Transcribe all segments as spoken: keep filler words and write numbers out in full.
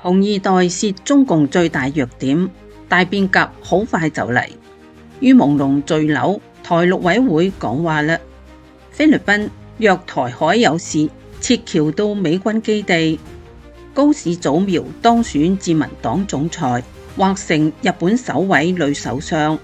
紅二代是中共最大弱點，大變革好快就嚟。於朦朧墜樓，台陸委會講話啦，菲律賓若台海有事，撤僑到美軍基地。高市早苗當選自民黨總裁，或成日本首位女首相。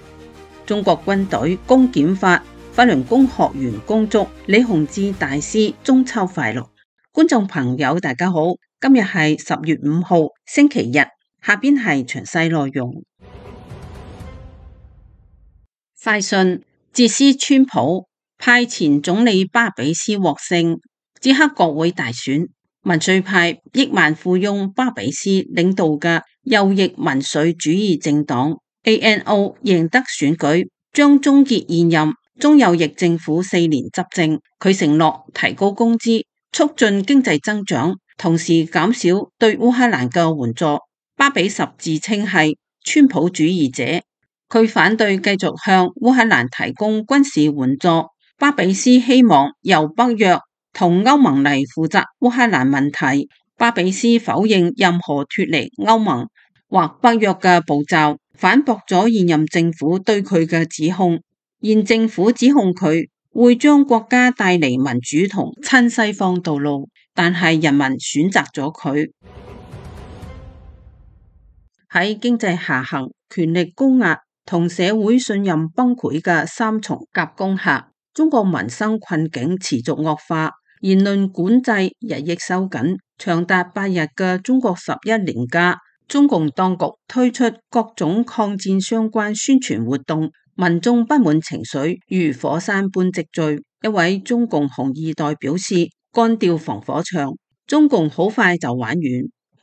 中國軍隊公檢法，法輪功學員恭祝李洪志大師中秋快樂。觀眾朋友大家好，今日係十月五號星期日，下邊係詳細內容。快訊：捷斯川普派前總理巴比斯獲勝，捷克國會大選，民粹派億萬富翁巴比斯領導嘅右翼民粹主義政黨 A N O 贏得選舉，將終結現任中右翼政府四年執政。佢承諾提高工資，促進經濟增長，同時減少對烏克蘭嘅援助。巴比什自稱係川普主義者，佢反對繼續向烏克蘭提供軍事援助。巴比斯希望由北約同歐盟嚟負責烏克蘭問題。巴比斯否認任何脫離歐盟或北約嘅步驟，反駁咗現任政府對佢嘅指控。現政府指控佢會將國家帶離民主同親西方道路，但係人民選擇咗佢。喺經濟下行、權力高壓同社會信任崩潰嘅三重夾攻下，中國民生困境持續惡化，言論管制日益收緊。長達八日嘅中國十一連假，中共當局推出各種抗戰相關宣傳活動，民眾不滿情緒如火山般積聚。一位中共紅二代表示，幹掉防火牆，中共好快就玩完。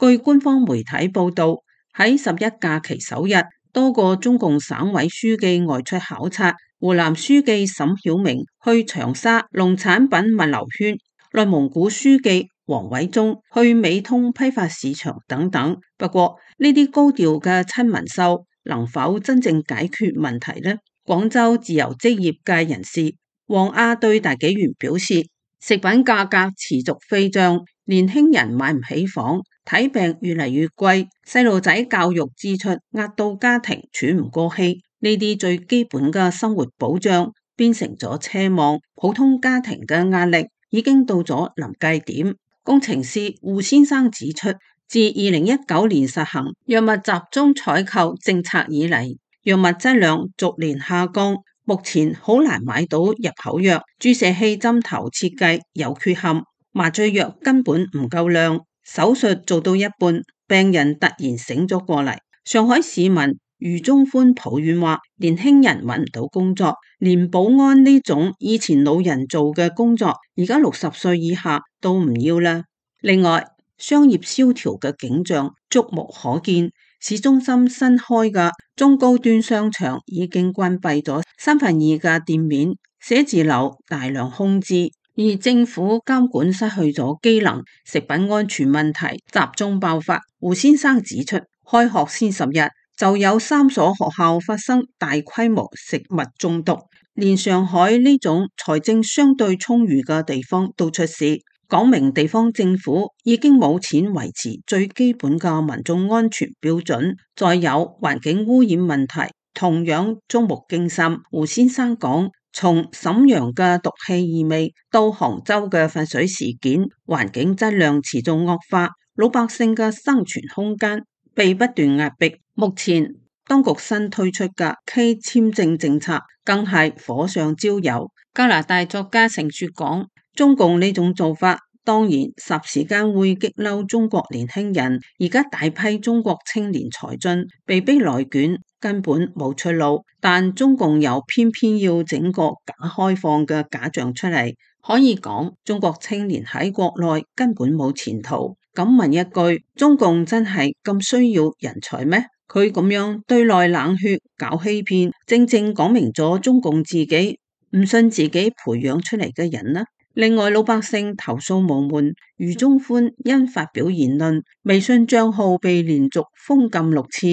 據官方媒體報道，喺十一假期首日，多個中共省委書記外出考察，湖南書記沈曉明去長沙農產品物流圈，內蒙古書記王偉忠去美通批發市場等等。不過呢啲高調嘅親民秀能否真正解決問題呢？廣州自由職業界人士黃亞對大紀元表示，食品價格持續飛漲，年輕人買唔起房，睇病越嚟越貴，細路仔教育支出壓到家庭喘唔過氣，呢啲最基本嘅生活保障變成咗奢望，普通家庭嘅壓力已經到咗臨界點。工程師胡先生指出，自二零一九年實行藥物集中採購政策以嚟，藥物質量逐年下降，目前好難買到入口藥，注射器針頭設計有缺陷，麻醉藥根本唔夠量，手術做到一半，病人突然醒咗過嚟。上海市民余中歡抱怨話，年輕人揾唔到工作，連保安呢種以前老人做嘅工作，而家六十歲以下都唔要啦。另外，商業蕭條嘅景象觸目可見，市中心新開嘅中高端商場已經關閉咗三分二嘅店面，寫字樓大量空置，而政府監管失去咗機能，食品安全問題集中爆發。胡先生指出，開學先十日就有三所學校發生大規模食物中毒，連上海呢種財政相對充裕嘅地方都出事，講明地方政府已經冇錢維持最基本嘅民眾安全標準。再有環境污染問題同樣觸目驚心。胡先生講，從瀋陽嘅毒氣異味到杭州嘅廢水事件，環境質量持續惡化，老百姓嘅生存空間被不斷壓迫。目前當局新推出嘅 K 簽證政策更係火上澆油。加拿大作家盛雪講，中共呢種做法當然霎時間會激嬲中國年輕人，而家大批中國青年才俊被逼內卷，根本冇出路，但中共又偏偏要整個假開放嘅假象出嚟，可以講中國青年喺國內根本冇前途。咁問一句，中共真係咁需要人才咩？佢咁樣對內冷血搞欺騙，正正講明咗中共自己唔信自己培養出嚟嘅人啦。另外，老百姓投訴無門，余中歡因發表言論，微信賬號被連續封禁六次，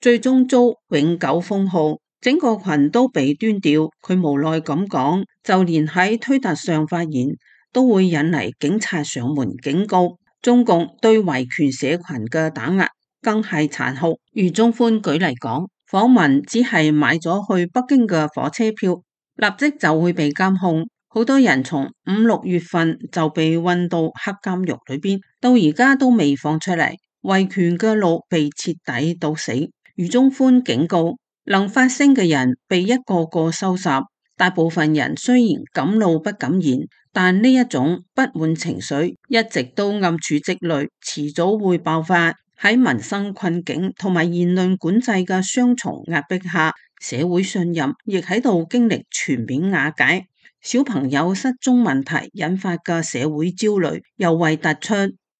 最終遭永久封號，整個群都被端掉。佢無奈咁講，就連喺推特上發言都會引嚟警察上門警告。中共對維權社群嘅打壓更係殘酷。如鍾寬舉例講，訪民只係買咗去北京嘅火車票，立即就會被監控。好多人從五六月份就被運到黑監獄裏邊，到而家都未放出嚟。維權嘅路被徹底堵死。如鍾寬警告，能發聲嘅人被一個個收拾。大部分人雖然敢怒不敢言，但呢一種不滿情緒一直都暗處積累，遲早會爆發。喺民生困境同埋言論管制嘅雙重壓迫下，社會信任亦喺度經歷全面瓦解。小朋友失蹤問題引發嘅社會焦慮尤為突出。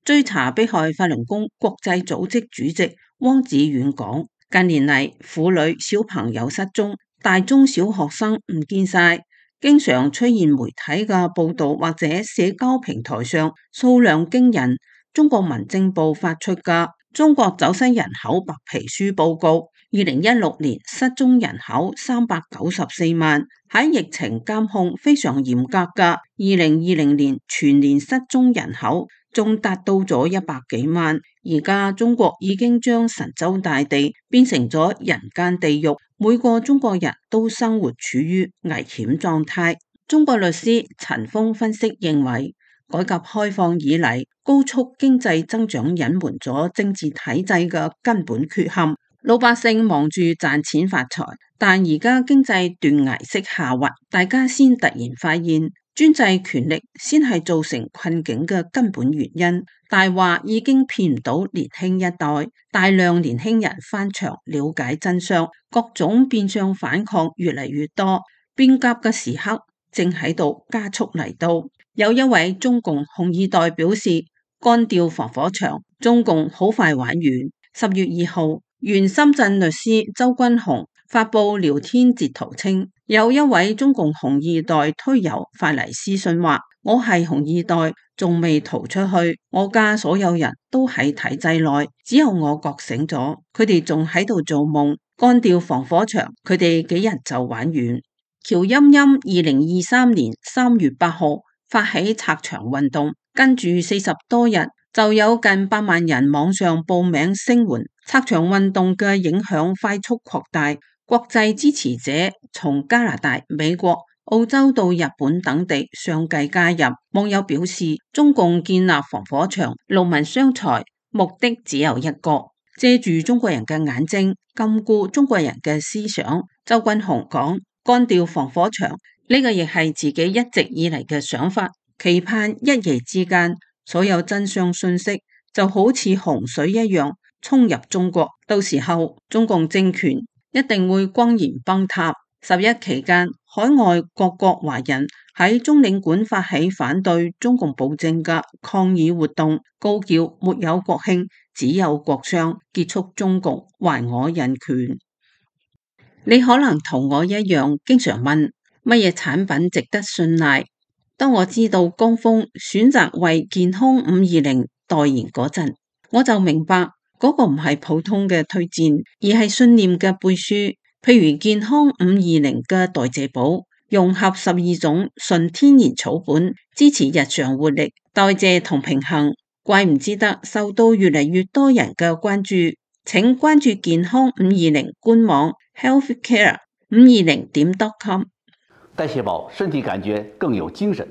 追查迫害法輪功國際組織主席汪子遠講，近年嚟婦女小朋友失蹤，大中小學生唔見晒，經常出現媒體嘅報道或者社交平台上數量驚人。中國民政部發出嘅中國走失人口白皮書報告，二零一六年失蹤人口三百九十四萬，喺疫情監控非常嚴格嘅二零二零年全年失蹤人口仲達到咗一百幾萬。而家中國已經將神州大地變成咗人間地獄，每個中國人都生活處於危險狀態。中國律師陳鋒分析認為，改革開放以嚟，高速經濟增長隱瞞咗政治體制嘅根本缺陷，老百姓忙住賺錢發財，但而家經濟斷崖式下滑，大家先突然發現專制權力先係造成困境嘅根本原因。大話已經騙唔到年輕一代，大量年輕人翻牆了解真相，各種變相反抗越嚟越多，變革嘅時刻正喺度加速嚟到。有一位中共紅二代表示，幹掉防火牆，中共好快玩完。十月二號，原深圳律師周君雄發布聊天截圖稱，有一位中共紅二代推友發嚟私信話，我係紅二代，仲未逃出去，我家所有人都喺體制內，只有我覺醒咗，佢哋仲喺度做夢。幹掉防火牆，佢哋幾日就玩完。喬音音二零二三年三月八號發起拆牆運動，跟住四十多日就有近百萬人網上報名聲援。拆牆運動嘅影響快速擴大，國際支持者從加拿大、美國、澳洲到日本等地相繼加入。網友表示，中共建立防火牆，勞民傷財，目的只有一個，借住中國人嘅眼睛，禁錮中國人嘅思想。周君雄講，幹掉防火牆，呢個亦係自己一直以嚟嘅想法，期盼一夜之間，所有真相信息就好似洪水一樣衝入中國，到時候中共政權一定會轟然崩塌。十一期間，海外各國華人喺中領館發起反對中共暴政嘅抗議活動，高叫沒有國慶，只有國殤，結束中共，還我人權。你可能同我一樣，經常問乜嘢產品值得信賴。當我知道江峰選擇為健康五二零代言嗰陣，我就明白嗰個唔係普通嘅推薦，而係信念嘅背書。譬如健康五二零嘅代謝寶，融合十二種純天然草本，支持日常活力、代謝同平衡，怪唔之得受到越嚟越多人嘅關注。請關注健康五二零官網 healthcare 五二零點 com。代謝寶，身體感覺更有精神。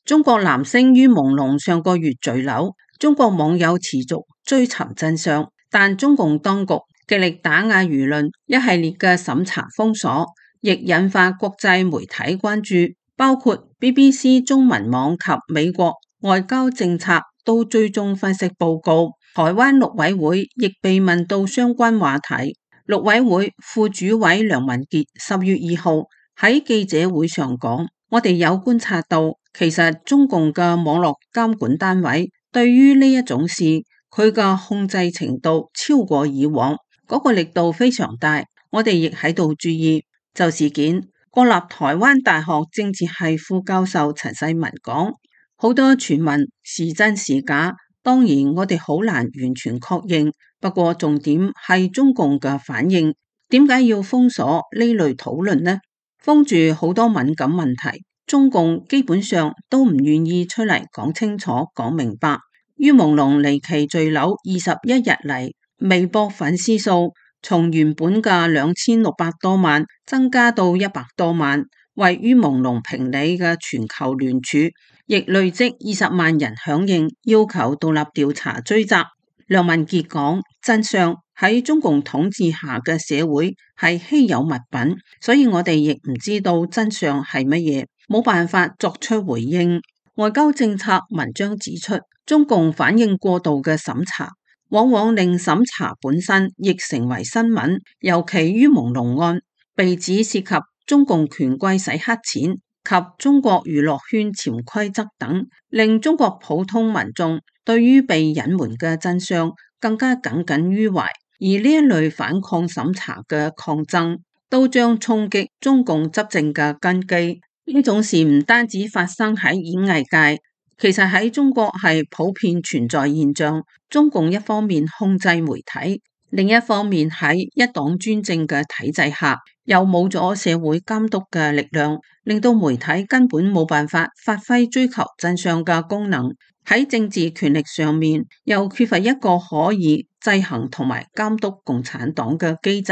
中國男星于朦朧上個月墜樓，中國網友持續追尋真相，但中共當局極力打壓輿論，一系列嘅審查封鎖亦引發國際媒體關注，包括 B B C 中文網及美國外交政策都追蹤分析報告。台灣陸委會亦被問到相關話題。陸委會副主委梁文傑十月二號喺記者會上講，我哋有觀察到，其實中共嘅網絡監管單位對於呢一種事，佢嘅控制程度超過以往，嗰個力度非常大。我哋亦喺度注意。就事件，國立台灣大學政治系副教授陳世文講，好多傳聞是真是假，當然我哋好難完全確認。不過重點係中共嘅反應，點解要封鎖呢類討論呢？封住好多敏感問題，中共基本上都唔願意出嚟講清楚、講明白。于朦朧離奇墜樓二十一日嚟，微博粉絲數從原本嘅兩千六百多萬增加到一百多萬，為于朦朧評理嘅全球聯署亦累積二十萬人響應，要求獨立調查追責。梁文傑講：真相喺中共統治下嘅社會係稀有物品，所以我哋亦唔知道真相係乜嘢，冇辦法作出回應。外交政策文章指出，中共反應過度嘅審查，往往令審查本身亦成為新聞。尤其于朦朧案被指涉及中共權貴洗黑錢及中國娛樂圈潛規則等，令中國普通民眾對於被隱瞞嘅真相更加耿耿於懷。而呢一類反抗審查嘅抗爭，都將衝擊中共執政嘅根基。呢種事唔單止發生喺演藝界，其實喺中國係普遍存在現象。中共一方面控制媒體，另一方面喺一黨專政嘅體制下，又冇咗社會監督嘅力量，令到媒體根本冇辦法發揮追求真相嘅功能。喺政治權力上面，又缺乏一個可以制衡同埋監督共產黨嘅機制。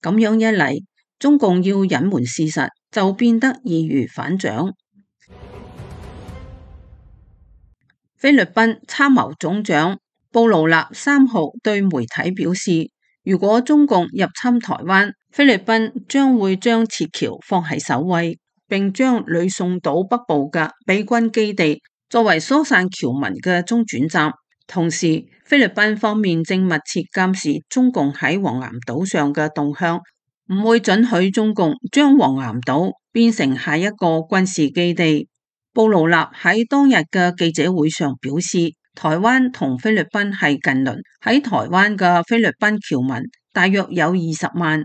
咁樣一嚟，中共要隱瞞事實就變得易如反掌。菲律賓參謀總長布勞納三號對媒體表示，如果中共入侵台灣，菲律賓將會將撤僑放喺首位，並將呂宋島北部嘅美軍基地作為疏散僑民嘅中轉站。同時，菲律賓方面正密切監視中共喺黃岩島上嘅動向，唔會准許中共將黃岩島變成下一個軍事基地。布勞納喺當日嘅記者會上表示，台灣同菲律賓係近鄰，喺台灣嘅菲律賓僑民大約有二十萬，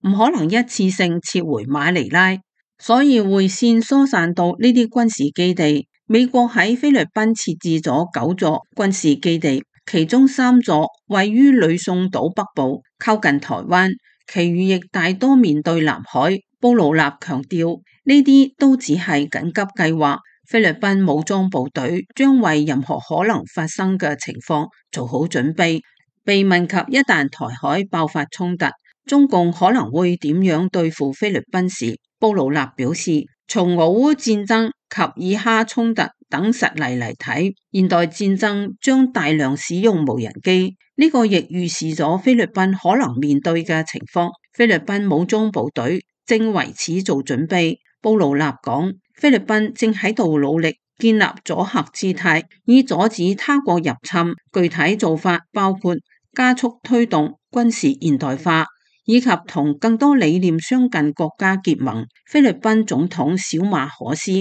唔可能一次性撤回馬尼拉，所以會先疏散到呢啲軍事基地。美國喺菲律賓設置咗九座軍事基地，其中三座位於呂宋島北部，靠近台灣，其餘亦大多面對南海。布勞納強調，呢啲都只係緊急計劃，菲律賓武裝部隊將為任何可能發生嘅情況做好準備。被問及一旦台海爆發衝突，中共可能會點樣對付菲律賓時，布勞納表示，從俄烏戰爭及以哈衝突等實例嚟睇，現代戰爭將大量使用無人機，呢個亦預示咗菲律賓可能面對嘅情況。菲律賓武裝部隊正為此做準備。布勞納講，菲律賓正喺度努力建立阻嚇姿態，以阻止他國入侵。具體做法包括加速推動軍事現代化，以及同更多理念相近國家結盟。菲律賓總統小馬可斯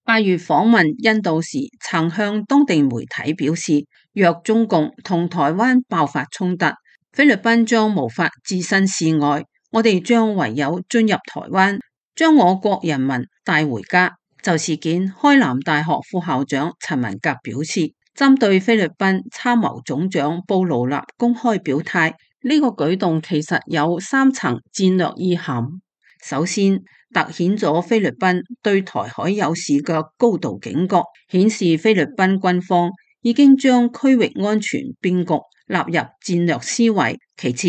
八月訪問印度時，曾向當地媒體表示，若中共同台灣爆發衝突，菲律賓將無法置身事外，我哋將唯有進入台灣，將我國人民帶回家。就事件，開南大學副校長陳文革表示，針對菲律賓參謀總長布勞納公開表態，呢個舉動其實有三層戰略意涵。首先，凸顯咗菲律賓對台海有事嘅高度警覺，顯示菲律賓軍方已經將區域安全變局納入戰略思維。其次，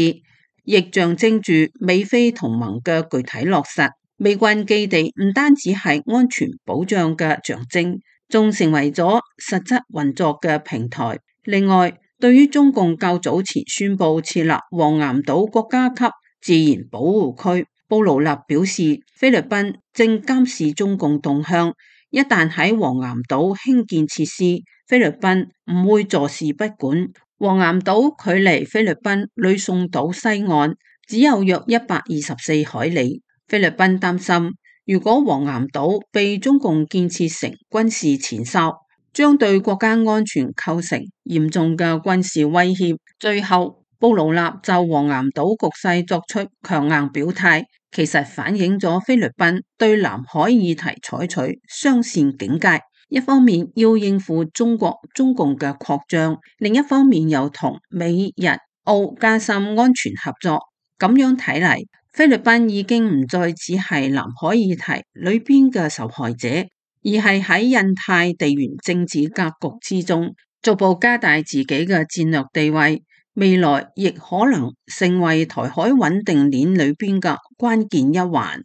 亦象徵住美菲同盟嘅具體落實。美軍基地唔單止係安全保障嘅象徵，仲成為咗實質運作嘅平台。另外，對於中共較早前宣布設立黃岩島國家級自然保護區，布勞納表示，菲律賓正監視中共動向，一旦喺黃岩島興建設施，菲律賓唔會坐視不管。黃岩島距離菲律賓呂宋島西岸只有約一百二十四海里。菲律賓擔心，如果黃岩島被中共建設成軍事前哨，將對國家安全構成嚴重嘅軍事威脅。最後，布勞納就黃岩島局勢作出強硬表態，其實反映咗菲律賓對南海議題採取雙線警戒，一方面要應付中國中共嘅擴張，另一方面又同美日澳加深安全合作。咁樣睇嚟，菲律賓已經唔再只係南海議題裏邊嘅受害者，而係喺印太地緣政治格局之中，逐步加大自己嘅戰略地位，未來亦可能成為台海穩定鏈裏邊嘅關鍵一環。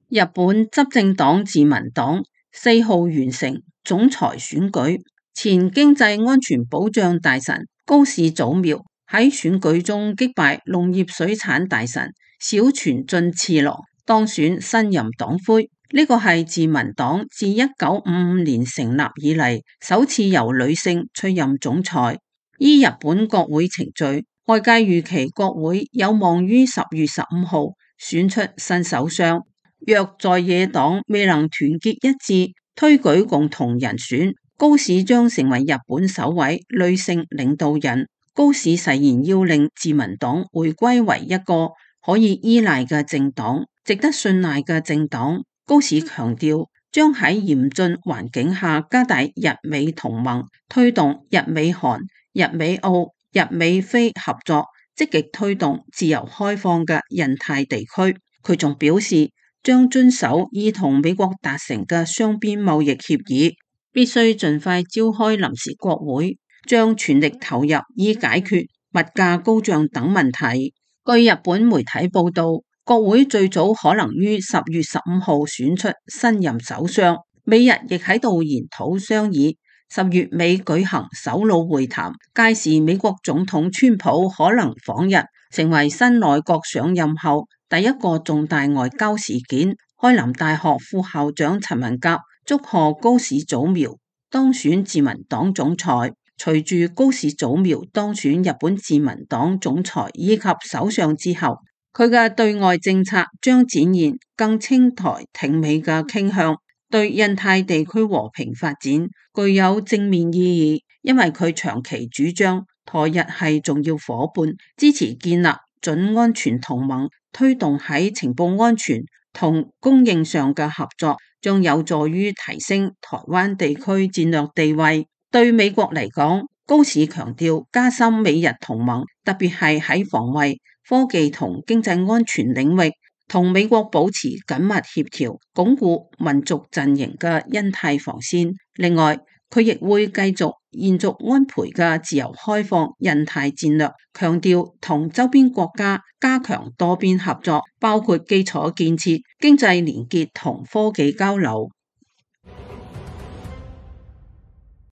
日本執政黨自民黨四號完成總裁選舉，前經濟安全保障大臣高市早苗喺選舉中擊敗農業水產大臣小泉進次郎，當選新任黨魁。呢個係自民黨自一九五五年成立以嚟首次由女性出任總裁。依日本國會程序，外界預期國會有望於十月十五號選出新首相。若在野黨未能團結一致推舉共同人選，高市將成為日本首位女性領導人。高市誓言要令自民黨回歸為一個可以依賴嘅政黨，值得信賴嘅政黨。高市強調將喺嚴峻環境下加大日美同盟，推動日美韓、日美澳、日美菲合作，積極推動自由開放嘅印太地區。佢仲表示，將遵守已同美國達成嘅雙邊貿易協議，必須盡快召開臨時國會，將全力投入以解決物價高漲等問題。據日本媒體報道，國會最早可能於十月十五號選出新任首相。美日亦喺度研討商議十月尾舉行首腦會談，屆時美國總統川普可能訪日，成為新內閣上任後第一個重大外交事件。開南大學副校長陳文甲祝賀高市早苗當選自民黨總裁。隨住高市早苗當選日本自民黨總裁以及首相之後，佢嘅對外政策將展現更清台挺美嘅傾向，對印太地區和平發展具有正面意義，因為佢長期主張台日係重要夥伴，支持建立準安全同盟，推動喺情報安全同供應上嘅合作，將有助於提升台灣地區戰略地位。對美國嚟講，高市強調加深美日同盟，特別係喺防衛、科技同經濟安全領域，同美國保持緊密協調，鞏固民族陣營嘅印太防線。另外，佢亦會繼續延續安倍嘅自由開放印太戰略，強調同周邊國家加強多邊合作，包括基礎建設、經濟連結同科技交流。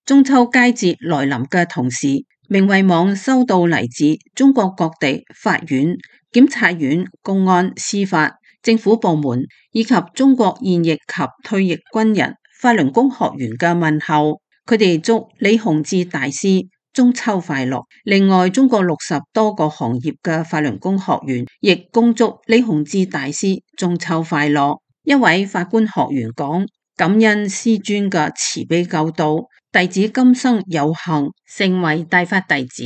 中秋佳節來臨嘅同時，明慧網收到嚟自中國各地法院、檢察院、公安、司法、政府部門以及中國現役及退役軍人法輪功學員嘅問候，佢哋祝李洪志大師中秋快樂。另外，中國六十多個行業嘅法輪功學員亦恭祝李洪志大師中秋快樂。一位法官學員講：感恩師尊嘅慈悲救度，弟子今生有幸成為大法弟子，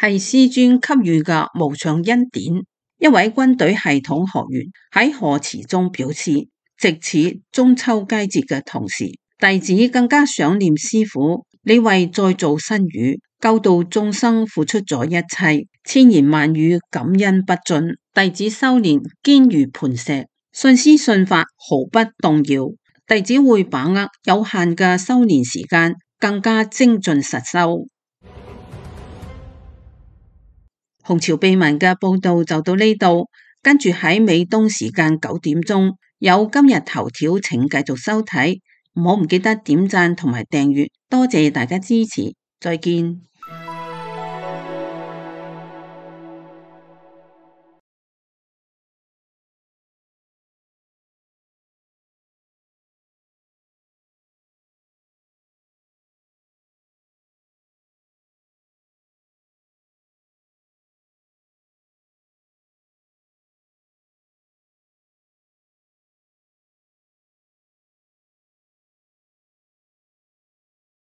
係師尊給予嘅無上恩典。一位軍隊系統學員喺賀詞中表示，值此中秋佳節嘅同時，弟子更加想念師父，你為再造新語、救度眾生付出咗一切，千言萬語感恩不盡。弟子修煉堅如磐石，信師信法毫不動搖。弟子會把握有限嘅修煉時間，更加精進實修。紅潮秘聞嘅報道就到呢度，跟住喺美東時間九點鐘有今日頭條，請繼續收睇，唔好唔記得點讚同埋訂閱，多謝大家支持，再見。